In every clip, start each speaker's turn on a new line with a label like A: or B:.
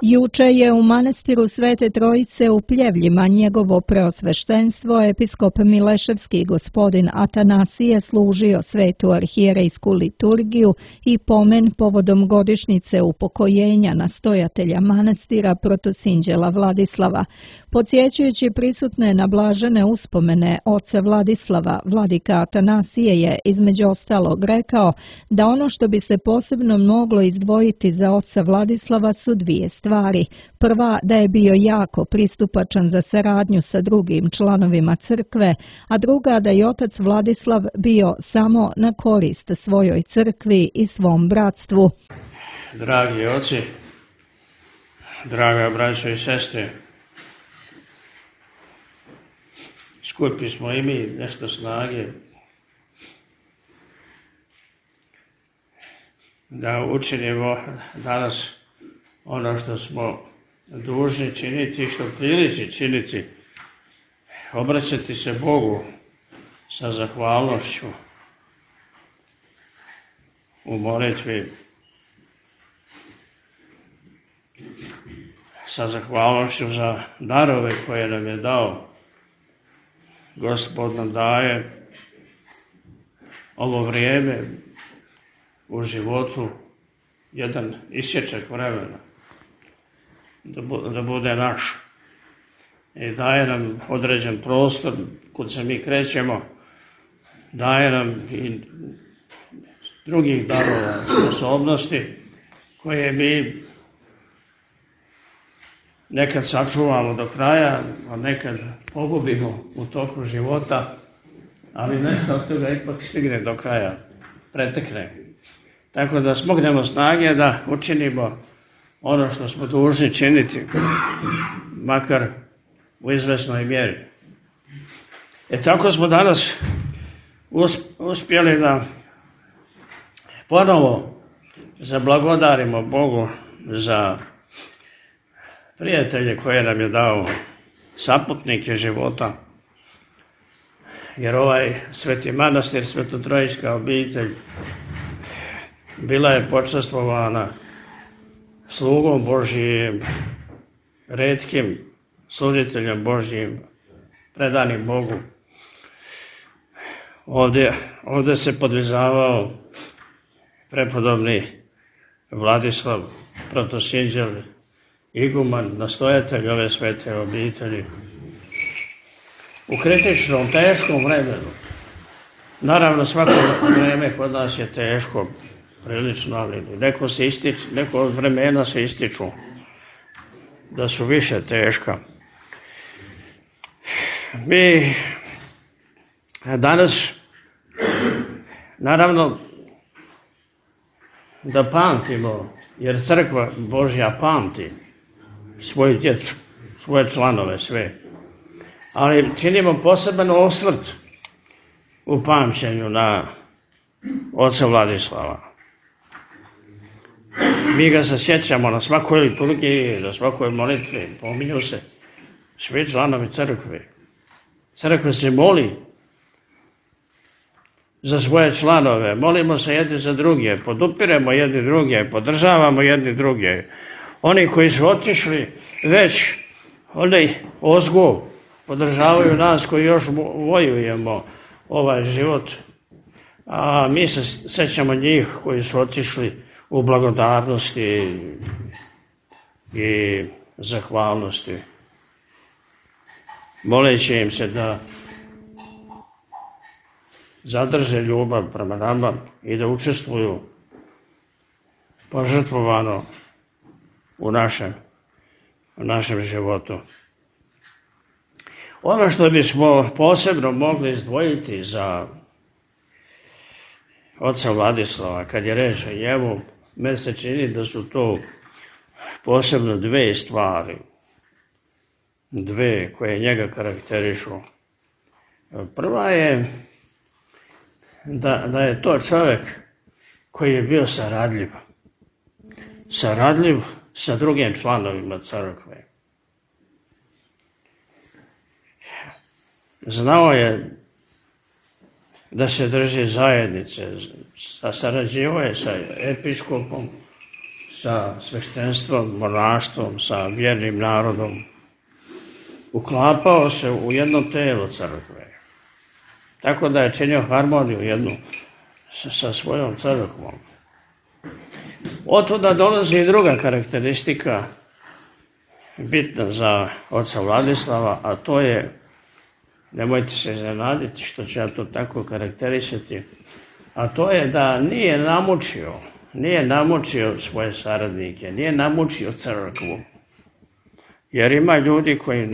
A: Juče je u manastiru Svete Trojice u Pljevljima njegovo preosveštenstvo episkop Mileševski gospodin Atanasije služio svetu arhijerejsku liturgiju i pomen povodom godišnjice upokojenja nastojatelja manastira protosinđela Vladislava. Podsjećajući prisutne na blažene uspomene oca Vladislava, vladika Atanasije je između ostalog rekao da ono što bi se posebno moglo izdvojiti za oca Vladislava su dvije stvari. Prva, da je bio jako pristupačan za saradnju sa drugim članovima crkve, a druga da je otac Vladislav bio samo na korist svojoj crkvi i svom bratstvu.
B: Dragi oci, draga braćo i sestre, skupi smo i mi nešto snage da učinimo danas ono što smo dužni činiti i što priliči činiti, obraćati se Bogu sa zahvalnošću u molitvi, sa zahvalnošću za darove koje nam je dao. Gospod nam daje ovo vrijeme u životu, jedan isječak vremena, da bude naš. I daje nam određen prostor kud se mi krećemo, daje nam i drugih darova, sposobnosti koje mi nekad sačuvamo do kraja, a nekad pogubimo u toku života, ali nešto od toga ipak stigne do kraja, pretekne. Tako da smognemo snage da učinimo ono što smo dužni činiti, makar u izvesnoj mjeri. Tako smo danas uspjeli da ponovo zablagodarimo Bogu za prijatelje koje nam je dao, saputnike života, jer ovaj sveti manastir, svetotrojska obitelj, bila je počastvovana slugom Božijim, retkim služiteljem Božijim, predanim Bogu. Ovdje se podvizavao prepodobni Vladislav, protosinđel, iguman, nastojatelj ove svete obitelji. U kritičnom, teškom vremenu. Naravno, svako vreme kod nas je teško, prilično, ali neko od vremena se ističu da su više teška. Mi danas, naravno, da pamtimo, jer crkva Božja pamti svoju djecu, svoje članove, sve. Ali činimo poseban osvrt u pamćenju na oca Vladislava. Mi ga se sjećamo na svakoj liturgiji, na svakoj molitvi, pominju se svi članovi crkve. Crkva se moli za svoje članove, molimo se jedni za druge, podupiremo jedni druge, podržavamo jedni druge. Oni koji su otišli već, oni ozgo podržavaju nas koji još vojujemo ovaj život, a mi se sjećamo njih koji su otišli u blagodarnosti i zahvalnosti, moleći im se da zadrže ljubav prema nama i da učestvuju požrtvovano u našem životu. Ono što bismo posebno mogli izdvojiti za oca Vladislava, kad je reč o njemu, meni se čini da su to posebno dve stvari, dve koje njega karakterišu. Prva je da je to čovjek koji je bio saradljiv sa drugim članovima crkve. Znao je da se drži zajednice, sarađivao je sa episkopom, sa sveštenstvom, monaštvom, sa vjernim narodom. Uklapao se u jedno telo crkve. Tako da je činio harmoniju jednu sa svojom crkvom. Otuda dolazi i druga karakteristika bitna za oca Vladislava, a to je, nemojte se iznenaditi što ću ja to tako karakterisati, a to je da nije namučio svoje saradnike, nije namučio crkvu. Jer ima ljudi koji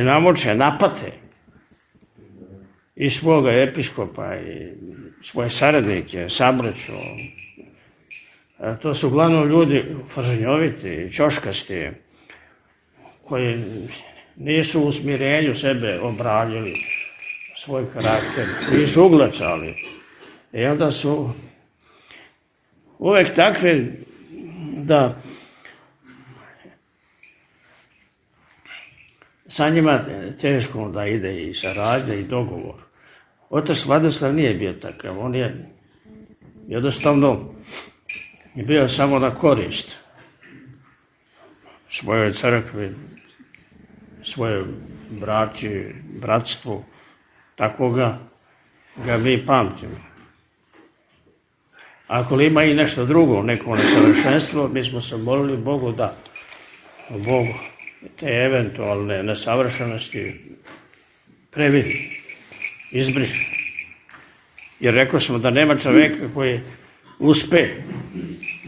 B: namuče, napate i svoga episkopa i svoje saradnike, sabraću. To su uglavnom ljudi fažnjoviti, ćoškasti, koji nisu u smirenju sebe obranili svoj karakter, nisu uglačali. I onda su uvek takvi da sa njima teško da ide i saradnja i dogovor. Otac Vladislav nije bio takav, on je jednostavno bio samo na korist svojoj crkvi, svojoj braći, bratstvu, tako ga mi pamtimo. Ako ima i nešto drugo, neko nesavršenstvo, mi smo se molili Bogu da Bog te eventualne nesavršenosti previdi, izbriše. Jer rekao smo da nema čoveka koji uspe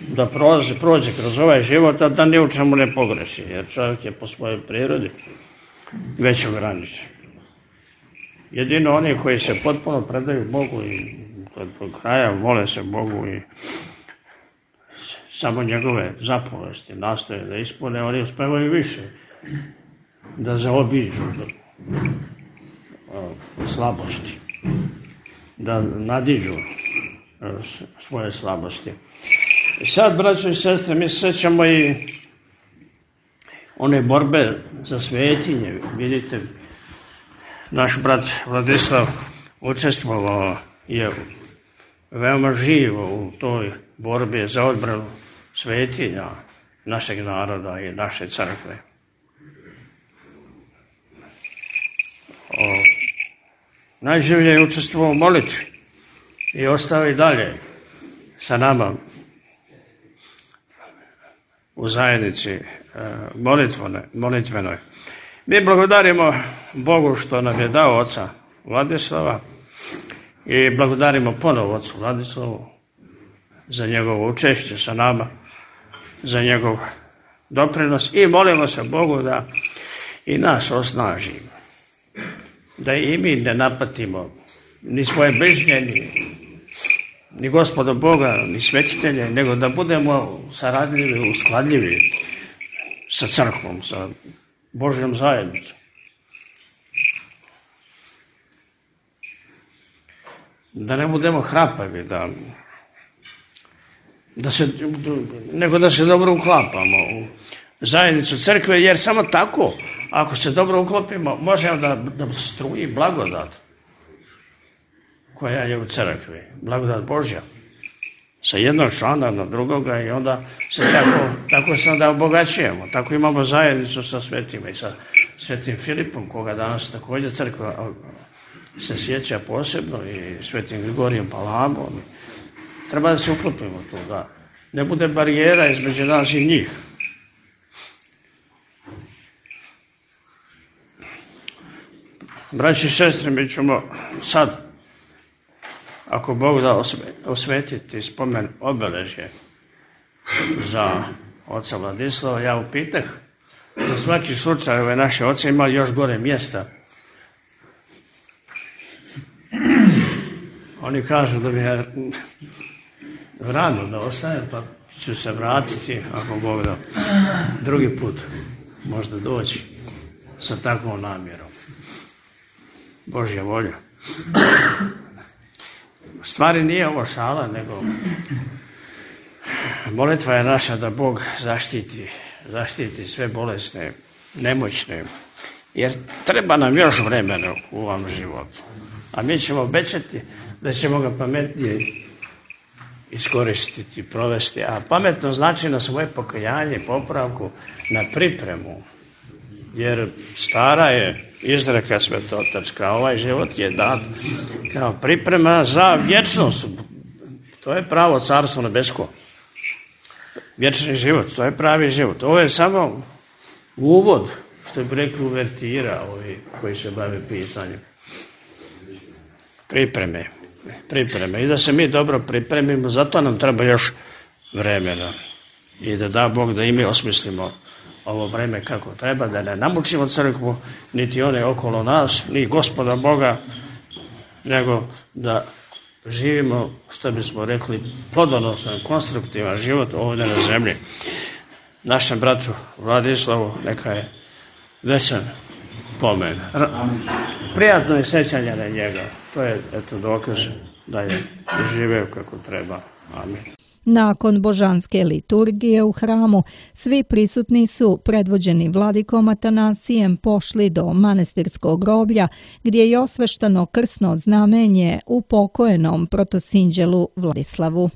B: da prođe kroz ovaj život, a da ni u čemu ne pogreši, jer čovjek je po svojoj prirodi već ograničen. Jedino oni koji se potpuno predaju Bogu i do kraja vole se Bogu i samo njegove zapovesti nastoje da ispune, oni uspevaju više da zaobiđu slabosti, da nadiđu svoje slabosti. Sad, braćo i sestre, mi se sećamo i one borbe za svetinje. Vidite, naš brat Vladislav učestvovao je veoma živo u toj borbi za odbranu svetinja našeg naroda i naše crkve. Najživlje je učestvovao u molitvi i ostao i dalje sa nama u zajednici molitvenoj. Mi blagodarimo Bogu što nam je dao oca Vladislava i blagodarimo ponovo ocu Vladislavu za njegovo učešće sa nama, za njegov doprinos i molimo se Bogu da i nas osnaži, da i mi ne napatimo ni svoje bližnje, ni Gospoda Boga, ni svetitelje, nego da budemo saradljivi, uskladljivi sa crkvom, sa Božjom zajednicom. Da ne budemo hrapavi, nego da se dobro uklapamo u zajednicu crkve, jer samo tako, ako se dobro uklopimo, možemo da struji blagodat koja je u crkvi, blagodat Božja, sa jednog člana na drugoga i onda se tako se onda obogaćujemo. Tako imamo zajednicu sa svetima i sa svetim Filipom, koga danas također crkva se sjeća posebno, i svetim Grigorijem Palamom. Treba da se uklopimo tu, da ne bude barijera između nas i njih. Braći i sestre, mi ćemo sad, ako Bog da, osvetiti spomen obeležje za oca Vladislava. Ja upitah, za svaki slučaj ove naše oce ima još gore mjesta. Oni kažu da mi je rano da ostajem, pa ću se vratiti, ako Bog da, drugi put možda doći sa takvom namjerom. Božja volja. U stvari nije ovo šala, nego molitva je naša da Bog zaštiti sve bolesne, nemoćne, jer treba nam još vremena u ovom životu. A mi ćemo obećati da ćemo ga pametnije iskoristiti, provesti. A pametno znači na svoje pokajanje, popravku, na pripremu. Jer stara je izreka svetotačka, ovaj život je dat kao priprema za vječnost. To je pravo carstvo nebesko. Vječni život, to je pravi život. Ovo je samo uvod, što bi rekli uvertira ovi koji se bave pisanjem. Pripreme. I da se mi dobro pripremimo, zato nam treba još vremena. I da Bog da i mi osmislimo ovo vreme kako treba, da ne namučimo crkvu, niti one okolo nas, ni Gospoda Boga, nego da živimo, što bismo rekli, plodonosan, konstruktivan život ovdje na zemlji. Našem bratu Vladislavu neka je večan pomen. Prijatno je sećanje na njega. To je dokaz da je živeo kako treba. Amin.
A: Nakon božanske liturgije u hramu, svi prisutni su, predvođeni vladikom Atanasijem, pošli do manastirskog groblja, gdje je osveštano krsno znamenje upokojenom protosinđelu Vladislavu.